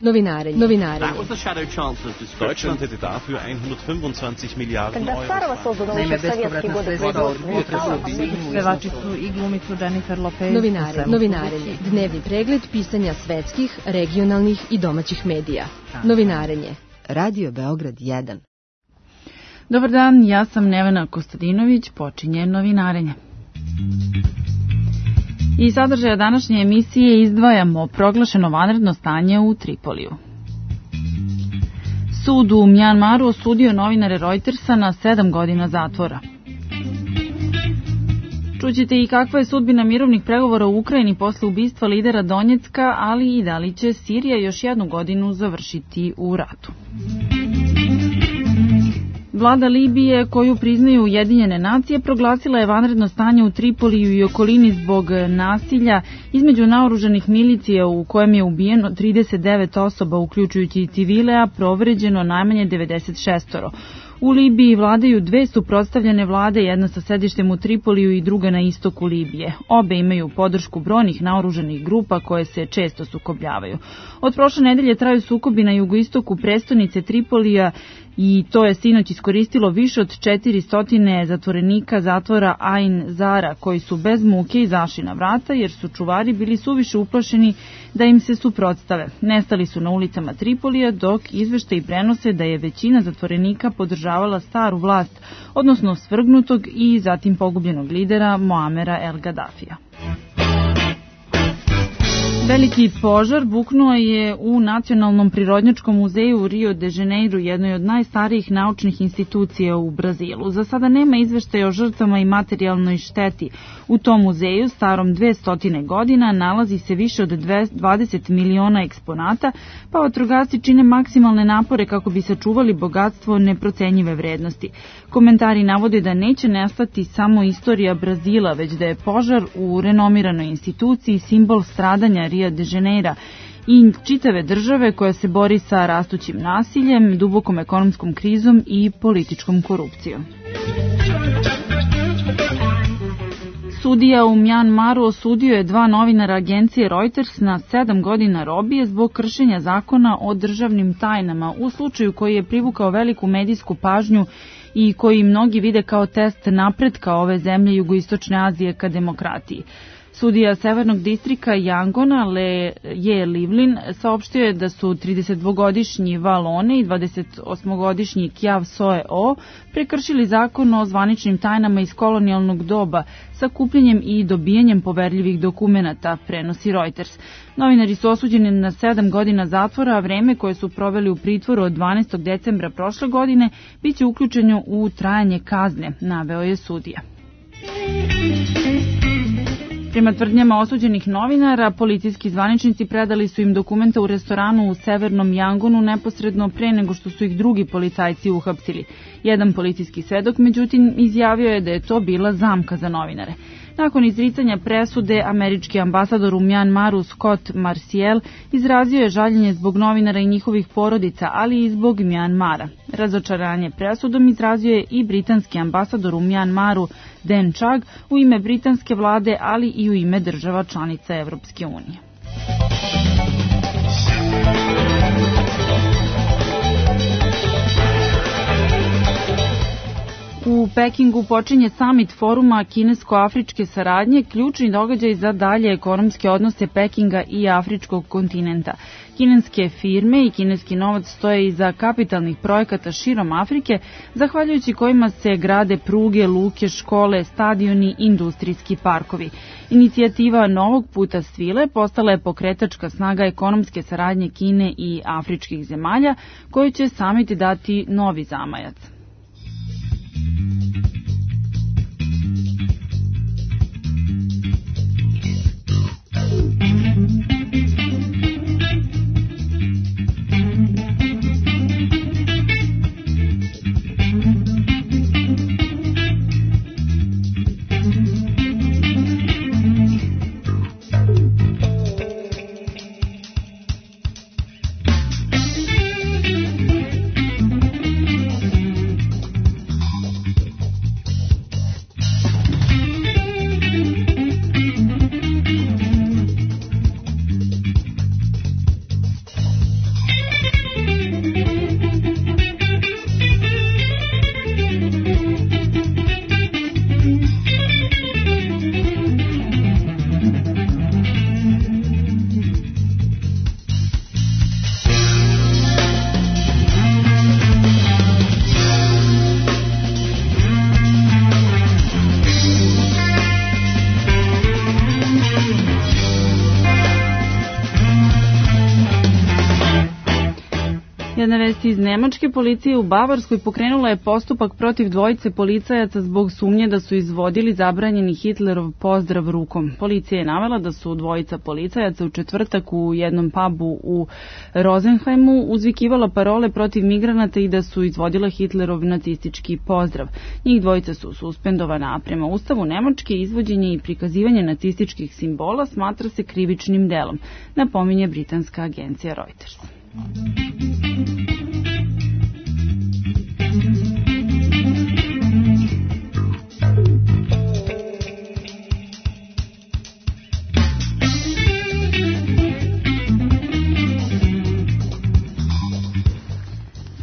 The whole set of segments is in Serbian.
Novinarenje. Deutschland hätte dafür 125 Miliarden Euro. Naime, bespovratna sredstva od pevačicu i glumicu Jennifer Lopez. Novinarenje. Dnevni pregled pisanja svetskih, regionalnih i domaćih medija. Novinarenje. Radio Beograd 1. Dobar dan, ja sam Nevena Kostadinović, počinje Novinarenje. Iz sadržaja današnje emisije izdvajamo proglašeno vanredno stanje u Tripoliju. Sud u Mjanmaru osudio novinare Reutersa na 7 godina zatvora. Čućete i kakva je sudbina mirovnih pregovora u Ukrajini posle ubistva lidera Donjecka, ali i da li će Sirija još jednu godinu završiti u ratu. Vlada Libije, koju priznaju Ujedinjene nacije, proglasila je vanredno stanje u Tripoliju i okolini zbog nasilja između naoružanih milicija u kojem je ubijeno 39 osoba, uključujući i civile, a povređeno najmanje 96. U Libiji vladaju dve suprotstavljene vlade, jedna sa sedištem u Tripoliju i druga na istoku Libije. Obe imaju podršku brojnih naoružanih grupa koje se često sukobljavaju. Od prošle nedelje traju sukobi na jugoistoku prestonice Tripolija i to je sinoć iskoristilo više od 400 zatvorenika zatvora Ain Zara, koji su bez muke izašli na vrata jer su čuvari bili suviše uplašeni da im se suprotstave. Nestali su na ulicama Tripolija, dok izveštaji prenose da je većina zatvorenika podržavala staru vlast, odnosno svrgnutog i zatim pogubljenog lidera Moamera El Gaddafija. Veliki požar buknuo je u Nacionalnom prirodnjačkom muzeju u Rio de Janeiro, jednoj od najstarijih naučnih institucija u Brazilu. Za sada nema izveštaja o žrtvama i materijalnoj šteti. U tom muzeju, starom 200 godina, nalazi se više od 20 miliona eksponata, pa vatrogasci čine maksimalne napore kako bi sačuvali bogatstvo neprocenjive vrednosti. Komentari navode da neće nestati samo istorija Brazila, već da je požar u renomiranoj instituciji simbol stradanja Rio de Janeiro i čitave države koja se bori sa rastućim nasiljem, dubokom ekonomskom krizom i političkom korupcijom. Sudija u Mjanmaru osudio je 2 novinara agencije Reuters na 7 godina robije zbog kršenja zakona o državnim tajnama, u slučaju koji je privukao veliku medijsku pažnju i koji mnogi vide kao test napretka ove zemlje jugoistočne Azije ka demokratiji. Sudija Severnog distrikta Yangona Je Livlin saopštio je da su 32-godišnji Valone i 28-godišnji Kyaw Soe O prekršili zakon o zvaničnim tajnama iz kolonijalnog doba sa kupljenjem i dobijanjem poverljivih dokumenata, prenosi Reuters. Novinari su osuđeni na 7 godina zatvora, a vreme koje su proveli u pritvoru od 12. decembra prošle godine biće uključeno u trajanje kazne, naveo je sudija. Prema tvrdnjama osuđenih novinara, policijski zvaničnici predali su im dokumente u restoranu u Severnom Yangonu neposredno pre nego što su ih drugi policajci uhapsili. Jedan policijski svedok, međutim, izjavio je da je to bila zamka za novinare. Nakon izricanja presude, američki ambasador u Mjanmaru Scott Marciel izrazio je žaljenje zbog novinara i njihovih porodica, ali i zbog Mjanmara. Razočaranje presudom izrazio je i britanski ambasador u Mjanmaru Dan Chugg u ime britanske vlade, ali i u ime država članica Evropske unije. U Pekingu počinje samit foruma kinesko-afričke saradnje, ključni događaj za dalje ekonomske odnose Pekinga i afričkog kontinenta. Kineske firme i kineski novac stoje iza kapitalnih projekata širom Afrike, zahvaljujući kojima se grade pruge, luke, škole, stadioni, industrijski parkovi. Inicijativa Novog puta svile postala je pokretačka snaga ekonomske saradnje Kine i afričkih zemalja, koji će samit dati novi zamajac. Jedna vest iz Nemačke, policija u Bavarskoj pokrenula je postupak protiv dvojice policajaca zbog sumnje da su izvodili zabranjeni Hitlerov pozdrav rukom. Policija je navela da su dvojica policajaca u četvrtak u jednom pubu u Rosenheimu uzvikivala parole protiv migranata i da su izvodila Hitlerov nacistički pozdrav. Njih dvojica su suspendovana, a prema Ustavu Nemačke izvođenje i prikazivanje nacističkih simbola smatra se krivičnim delom, napominje britanska agencija Reuters.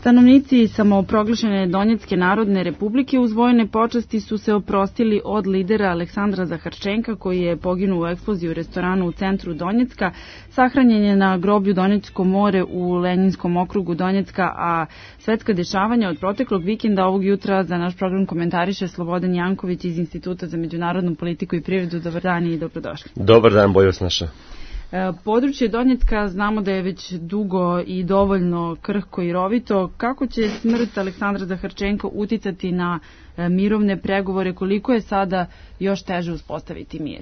Stanovnici samoproglašene Donjecke narodne republike uz vojne počasti su se oprostili od lidera Aleksandra Zaharčenka, koji je poginuo u eksploziji u restoranu u centru Donjecka. Sahranjen je na groblju Donjecko more u Lenjinskom okrugu Donjecka, a svetska dešavanja od proteklog vikenda ovog jutra za naš program komentariše Slobodan Janković iz Instituta za međunarodnu politiku i privredu. Dobar dan i dobrodošli. Dobar dan, bolje vas našao. Područje Donjecka znamo da je već dugo i dovoljno krhko i rovito. Kako će smrt Aleksandra Zaharčenka uticati na mirovne pregovore? Koliko je sada još teže uspostaviti mir?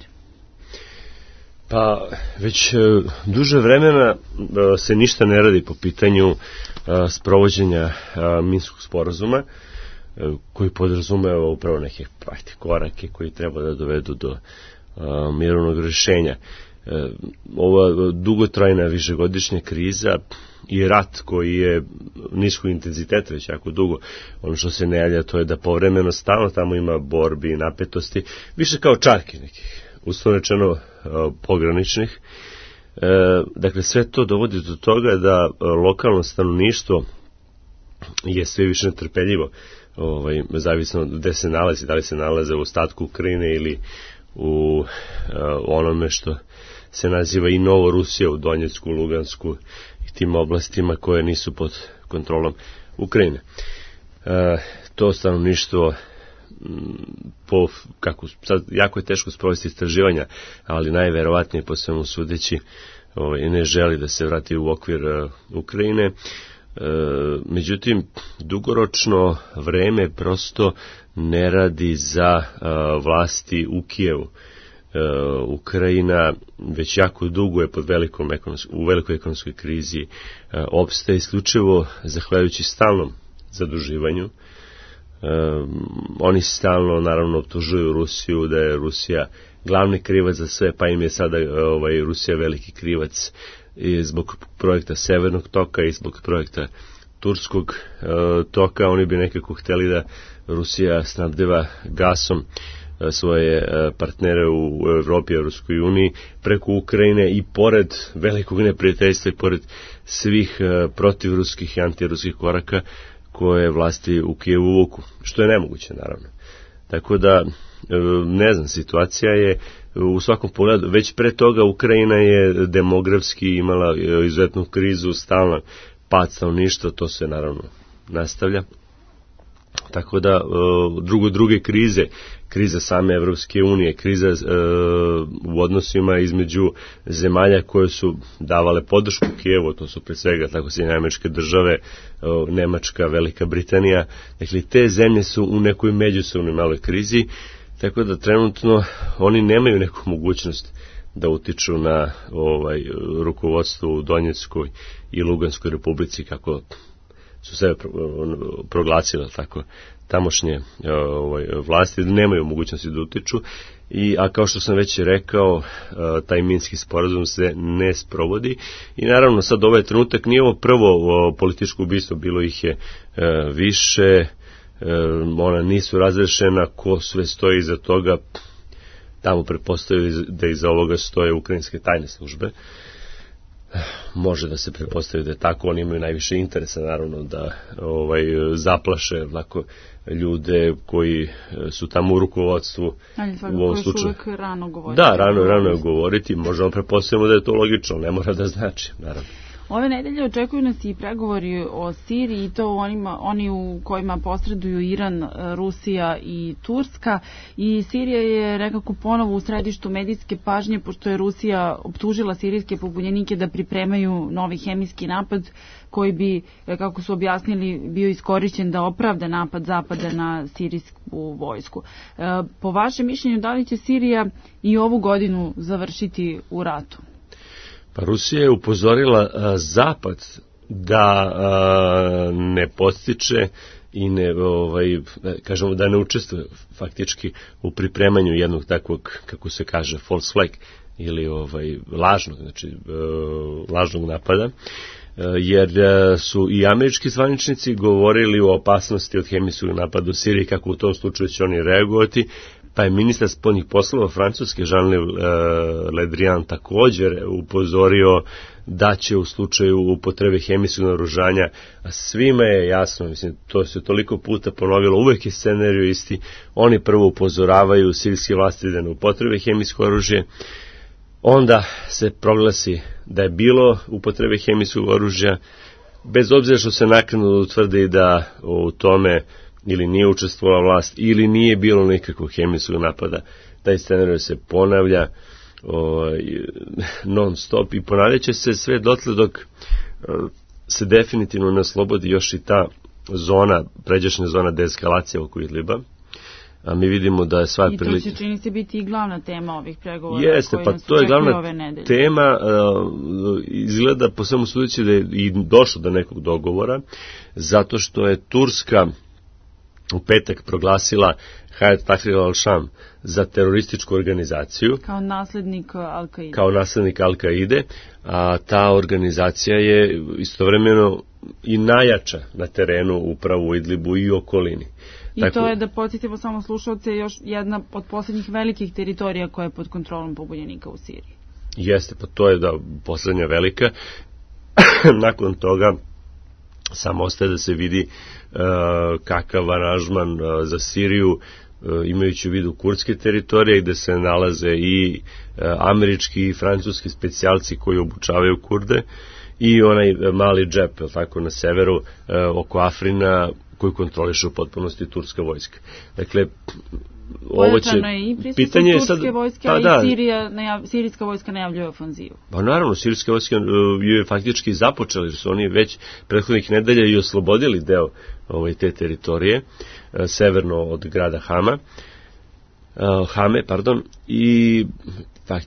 Pa već duže vremena se ništa ne radi po pitanju sprovođenja Minskog sporazuma, koji podrazumeva upravo neke korake koji treba da dovedu do mirovnog rješenja. Ova dugotrajna višegodišnja kriza i rat koji je niskog intenziteta već jako dugo, ono što se ne javlja to je da povremeno stalno tamo ima borbi i napetosti, više kao čarki nekih, uslovno rečeno pograničnih. Dakle, sve to dovodi do toga da lokalno stanovništvo je sve više netrpeljivo, zavisno gde se nalazi, da li se nalaze u ostatku Ukrajine ili u onome što se naziva i Novo Rusija u Donjecku, Lugansku i tim oblastima koje nisu pod kontrolom Ukrajine. To stanovništvo sad jako je teško sprovesti istraživanja, ali najverovatnije po svemu sudeći ne želi da se vrati u okvir Ukrajine. Međutim, dugoročno vreme prosto ne radi za vlasti u Kijevu. Ukrajina već jako dugo je u velikoj ekonomskoj krizi, opstaje isključivo zahvaljujući stalnom zaduživanju. Oni stalno naravno optužuju Rusiju da je Rusija glavni krivac za sve, pa im je sada Rusija veliki krivac i zbog projekta Severnog toka i zbog projekta Turskog toka. Oni bi nekako htjeli da Rusija snabdeva gasom svoje partnere u Evropi i Europskoj uniji preko Ukrajine i pored velikog neprijateljstva i pored svih protivruskih i antiruskih koraka koje vlasti u Kijevu vuku, što je nemoguće naravno. Tako da, ne znam, situacija je u svakom pogledu, već pre toga Ukrajina je demografski imala izuzetnu krizu, stalno pad stanovništva, to se naravno nastavlja. Tako da, druge krize, kriza same Evropske unije, kriza u odnosima između zemalja koje su davale podršku Kijevu, to su pre svega tako Sjedinjene Američke Države, Nemačka, Velika Britanija, dakle te zemlje su u nekoj međusobnoj maloj krizi, tako da trenutno oni nemaju neku mogućnost da utiču na rukovodstvo u Donjeckoj i Luganskoj republici, kako su sebe proglasile tako tamošnje vlasti, nemaju mogućnosti da utiču, a kao što sam već rekao, taj Minski sporazum se ne sprovodi i naravno sad ovaj trenutak nije ovo prvo političko ubistvo, bilo ih je više, ona nisu razrešena, ko sve stoji iza toga, tamo pretpostavljaju da iza ovoga stoje ukrajinske tajne službe. Može da se pretpostavi da je tako, oni imaju najviše interesa naravno da zaplaše ljude koji su tamo u rukovodstvu. Ali svakako još uvek rano govoriti. Da, rano je govoriti, možemo pretpostaviti da je to logično, ne mora da znači, naravno. Ove nedelje očekuju nas i pregovori o Siriji, i to oni u kojima posreduju Iran, Rusija i Turska, i Sirija je nekako ponovo u središtu medijske pažnje, pošto je Rusija optužila sirijske pobunjenike da pripremaju novi hemijski napad koji bi, kako su objasnili, bio iskorišćen da opravda napad Zapada na sirijsku vojsku. Po vašem mišljenju, da li će Sirija i ovu godinu završiti u ratu? Pa Rusija je upozorila Zapad da ne podstiče i kažemo da ne učestvuje faktički u pripremanju jednog takvog, kako se kaže, false flag ili lažnog napada, jer su i američki zvaničnici govorili o opasnosti od hemijskog napada u Siriji, kako u tom slučaju će oni reagovati. Pa je ministar spoljnih poslova Francuske Jean-Yves Le Drian također upozorio da će u slučaju upotrebe hemijskog naoružanja, a svima je jasno, mislim, to se toliko puta ponovilo, uvek je scenarij isti, oni prvo upozoravaju sirijske vlasti da ne upotrebe hemijsko oružje, onda se proglasi da je bilo upotrebe hemijskog oružja, bez obzira što se naknadno utvrdi da u tome ili nije učestvovala vlast, ili nije bilo nikakvog hemijskog napada. Taj scenarij se ponavlja non stop i ponavljat će se sve dotle dok se definitivno ne oslobodi još i ta zona, pređašnja zona deeskalacije oko Idliba. A mi vidimo da je sva prilika... I to će čini se biti i glavna tema ovih pregovora. Jeste, pa to je glavna tema. Izgleda po svemu sudeći da je i došlo do nekog dogovora, zato što je Turska u petak proglasila Hayat Tahrir al-Sham za terorističku organizaciju. Kao naslednik Al-Qaide. Kao naslednik Al-Qaide, a ta organizacija je istovremeno i najjača na terenu upravo u Idlibu i okolini. I tako, to je, da podsjetimo samo slušalce, još jedna od posljednjih velikih teritorija koja je pod kontrolom pobunjenika u Siriji. Jeste, pa to je poslednja velika. Nakon toga samo ostaje da se vidi kakav aranžman za Siriju, imajući u vidu kurdske teritorije gde se nalaze i američki i francuski specijalci koji obučavaju Kurde i onaj mali džep, tako, na severu oko Afrina koji kontroliše u potpunosti turska vojska. Dakle, ovo će... Pojačano je i prisutno turske vojske, a i sirijska vojska najavljuje ofanzivu. Pa naravno, sirijska vojska je faktički započela, jer su oni već prethodnih nedelja i oslobodili deo te teritorije, severno od grada Hame, i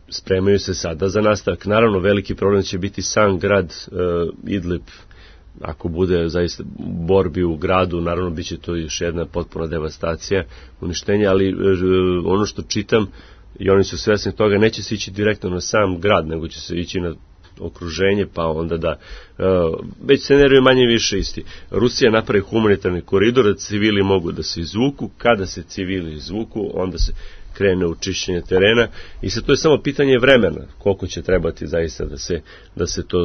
spremaju se sada za nastavak. Naravno, veliki problem će biti sam grad Idlib. Ako bude zaista borbi u gradu, naravno bit će to još jedna potpuna devastacija, uništenje, ali ono što čitam, i oni su svesni toga, neće se ići direktno na sam grad, nego će se ići na okruženje, pa onda da već scenarij je manje više isti. Rusija napravi humanitarni koridor, da civili mogu da se izvuku, kada se civili izvuku, onda se krene u čišćenje terena i sad to je samo pitanje vremena, koliko će trebati zaista da se to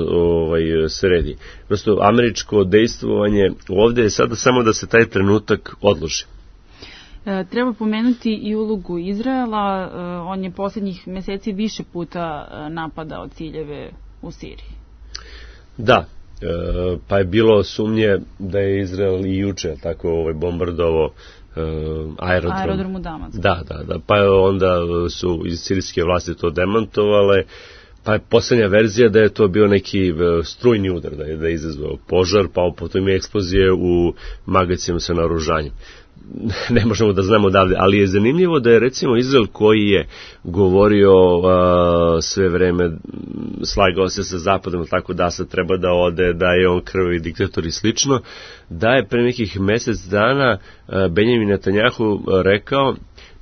sredi. Prosto američko dejstvovanje ovde je sada samo da se taj trenutak odloži. Treba pomenuti i ulogu Izraela, on je posljednjih meseci više puta napadao ciljeve u Siriji. Da, pa je bilo sumnje da je Izrael i juče tako bombardovao aerodrom u Damasku. Da, pa onda su iz sirijske vlasti to demantovale, pa je posljednja verzija da je to bio neki strujni udar, da je izazvao požar, pa potom je eksplozije u magacinu sa naoružanjem. Ne možemo da znamo odavde, ali je zanimljivo da je recimo Izrael, koji je govorio sve vreme, slagao se sa Zapadom, tako da sad treba da ode, da je on krvavi diktator i slično, da je pre nekih mesec dana Benjamin Netanjahu rekao,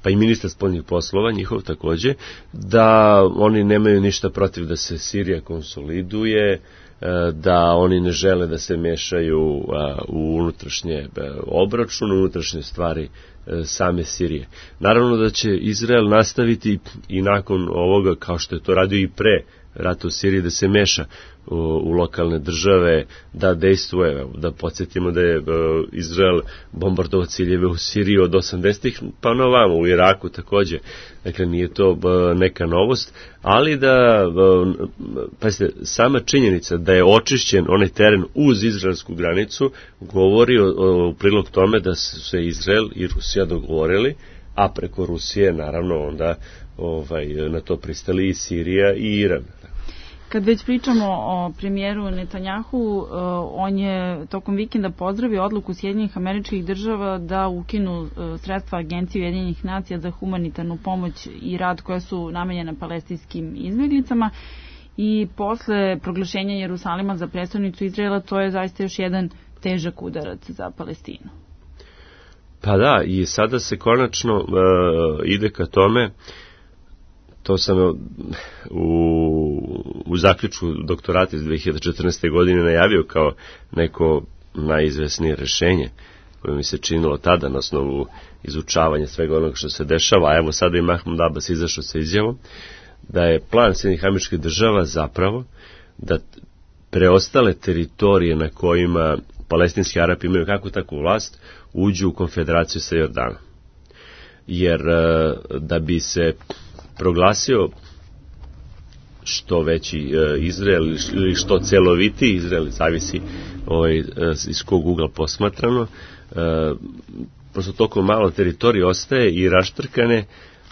pa i ministar spoljnih poslova, njihov takođe, da oni nemaju ništa protiv da se Sirija konsoliduje, da oni ne žele da se mešaju u unutrašnje obračune, unutrašnje stvari same Sirije. Naravno da će Izrael nastaviti i nakon ovoga, kao što je to radio i pre rata u Siriji, da se meša u lokalne države, da dejstvuje, da podsjetimo da je Izrael bombardovao ciljeve u Siriji od 80-ih pa na ovamo, u Iraku takođe. Dakle, nije to neka novost, ali da, pazite, sama činjenica da je očišćen onaj teren uz izraelsku granicu govori u prilog tome da su se Izrael i Rusija dogovorili, a preko Rusije naravno onda na to pristali i Sirija i Iran. Kad već pričamo o premijeru Netanjahu, on je tokom vikenda pozdravio odluku Sjedinjenih Američkih Država da ukinu sredstva Agencije Ujedinjenih nacija za humanitarnu pomoć i rad koja su namenjena palestinskim izbjeglicama, i posle proglašenja Jerusalima za prestonicu Izraela to je zaista još jedan težak udarac za Palestinu. Pa da, i sada se konačno ide ka tome. To sam u zaključku doktorata iz 2014. godine najavio kao neko najizvesnije rešenje koje mi se činilo tada na osnovu izučavanja svega onoga što se dešava, a evo sada i Mahmud Abbas izašao sa izjavom da je plan Sjedinjenih Američkih Država zapravo da preostale teritorije na kojima palestinski Arapi imaju kakvu takvu vlast uđu u konfederaciju sa Jordanom. Jer da bi se proglasio što veći Izrael ili što celoviti Izrael, zavisi iz kog ugla posmatrano, prosto toliko malo teritorije ostaje i raštrkane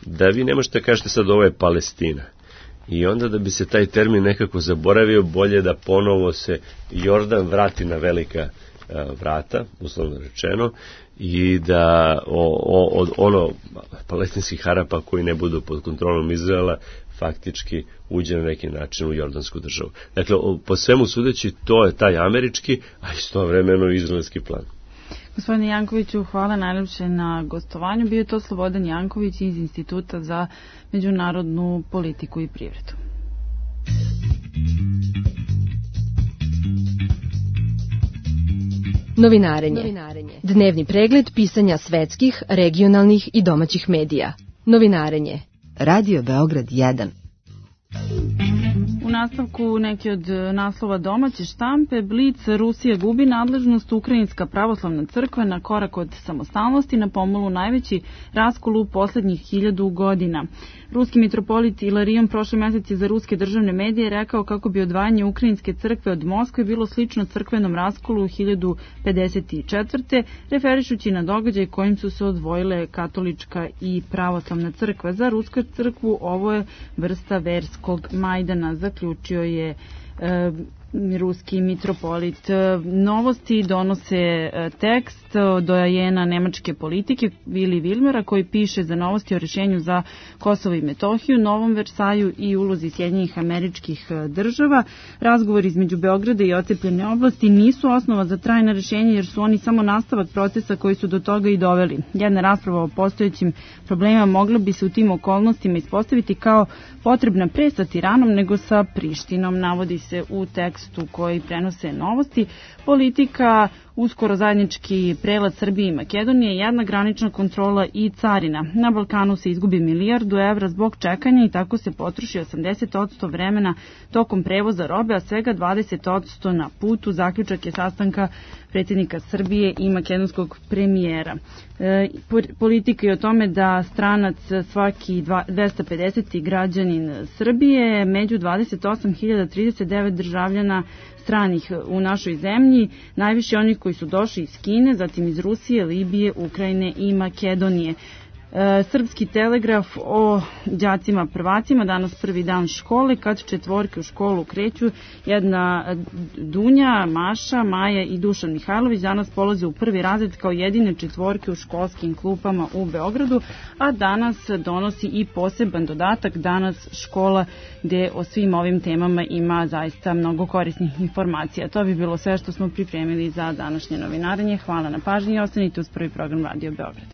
da vi ne možete kažete sad ovo je Palestina. I onda da bi se taj termin nekako zaboravio, bolje da ponovo se Jordan vrati na velika vrata, uslovno rečeno, i da od palestinskih Arapa koji ne budu pod kontrolom Izraela faktički uđe na neki način u jordansku državu. Dakle, po svemu sudeći, to je taj američki, a istovremeno izraelski plan. Gospodine Jankoviću, hvala najljepše na gostovanju. Bio je to Slobodan Janković iz Instituta za međunarodnu politiku i privredu. Novinarenje. Dnevni pregled pisanja svetskih, regionalnih i domaćih medija. Novinarenje. Radio Beograd 1. U nastavku neki od naslova domaće štampe: Blic, Rusija gubi nadležnost, Ukrajinska pravoslavna crkva na korak od samostalnosti, na pomolu najveći raskol u poslednjih 1000 godina. Ruski mitropolit Ilarion prošle meseci za ruske državne medije rekao kako bi odvajanje Ukrajinske crkve od Moskve bilo slično crkvenom raskolu 1054. referišući na događaj kojim su se odvojile katolička i pravoslavna crkva. Za rusku crkvu ovo je vrsta verskog majdana, zaključio je ruski mitropolit. Novosti donose tekst dojajena nemačke politike Vili Vilmera, koji piše za Novosti o rešenju za Kosovo i Metohiju, Novom Versaju i ulozi Sjedinjenih Američkih Država. Razgovori između Beograda i ocepljene oblasti nisu osnova za trajna rešenja, jer su oni samo nastavak procesa koji su do toga i doveli. Jedna rasprava o postojećim problemima mogla bi se u tim okolnostima ispostaviti kao potrebna pre sa Tiranom nego sa Prištinom, navodi se u tekstu koji prenose Novosti. Politika, uskoro zajednički prelaz Srbije i Makedonije, jedna granična kontrola i carina. Na Balkanu se izgubi 1 milijardu evra zbog čekanja i tako se potroši 80% vremena tokom prevoza robe, a svega 20% na putu. Zaključak je sastanka predsjednika Srbije i makedonskog premijera. Politika je o tome da stranac svaki 250. građanin Srbije, među 28.039 državljana stranih u našoj zemlji, najviše onih koji su došli iz Kine, zatim iz Rusije, Libije, Ukrajine i Makedonije. Srpski telegraf o đacima prvacima, danas prvi dan škole, kad četvorke u školu kreću. Jedna Dunja, Maša, Maja i Dušan Mihajlović danas polaze u prvi razred kao jedine četvorke u školskim klupama u Beogradu, a danas donosi i poseban dodatak, danas škola, gde o svim ovim temama ima zaista mnogo korisnih informacija. To bi bilo sve što smo pripremili za današnje novinarenje. Hvala na pažnji i ostanite uz prvi program Radio Beograd.